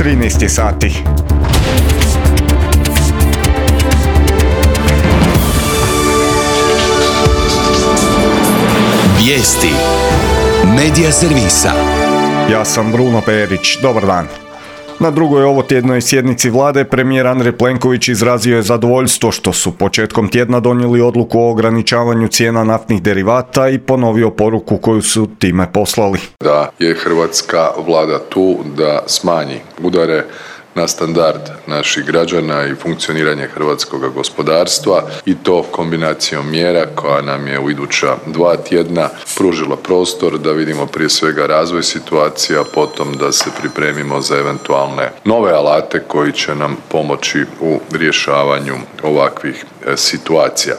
13 sati. Vijesti Medija servisa. Ja sam Bruno Perić, dobar dan. Na drugoj ovotjednoj sjednici vlade premijer Andrej Plenković izrazio je zadovoljstvo što su početkom tjedna donijeli odluku o ograničavanju cijena naftnih derivata i ponovio poruku koju su time poslali. Da je hrvatska vlada tu da smanji udare na standard naših građana i funkcioniranje hrvatskog gospodarstva i to kombinacijom mjera koja nam je u iduća 2 tjedna pružila prostor da vidimo prije svega razvoj situacija, potom da se pripremimo za eventualne nove alate koji će nam pomoći u rješavanju ovakvih situacija.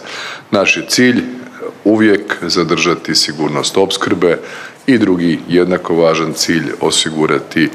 Naš je cilj uvijek zadržati sigurnost opskrbe i drugi jednako važan cilj osigurati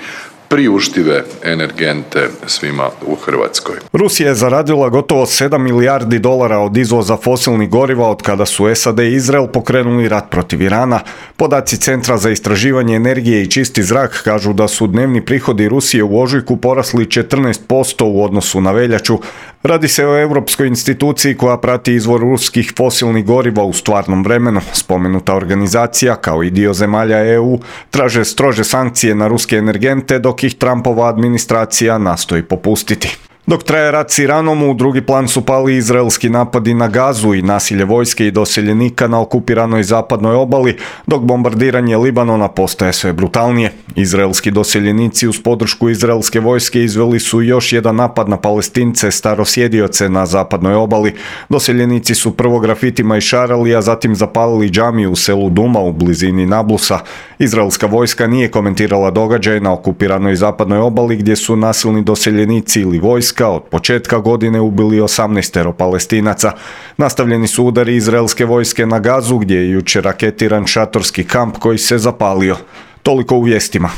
priuštive energente svima u Hrvatskoj. Rusija je zaradila gotovo 7 milijardi dolara od izvoza fosilnih goriva od kada su SAD i Izrael pokrenuli rat protiv Irana. Podaci Centra za istraživanje energije i čisti zrak kažu da su dnevni prihodi Rusije u ožujku porasli 14% u odnosu na veljaču. Radi se o europskoj instituciji koja prati izvor ruskih fosilnih goriva u stvarnom vremenu. Spomenuta organizacija, kao i dio zemalja EU, traže strože sankcije na ruske energente, dok ih Trumpova administracija nastoji popustiti. Dok traje rat s Iranom, u drugi plan su pali izraelski napadi na Gazu i nasilje vojske i doseljenika na okupiranoj zapadnoj obali, dok bombardiranje Libanona postaje sve brutalnije. Izraelski doseljenici uz podršku izraelske vojske izveli su još jedan napad na Palestince starosjedioce na zapadnoj obali. Doseljenici su prvo grafitima išarali, a zatim zapalili džamiju u selu Duma u blizini Nablusa. Izraelska vojska nije komentirala događaj na okupiranoj zapadnoj obali gdje su nasilni doseljenici ili vojska od početka godine ubili 18 Palestinaca. Nastavljeni su udari izraelske vojske na Gazu gdje je jučer raketiran šatorski kamp koji se zapalio. Toliko u vijestima.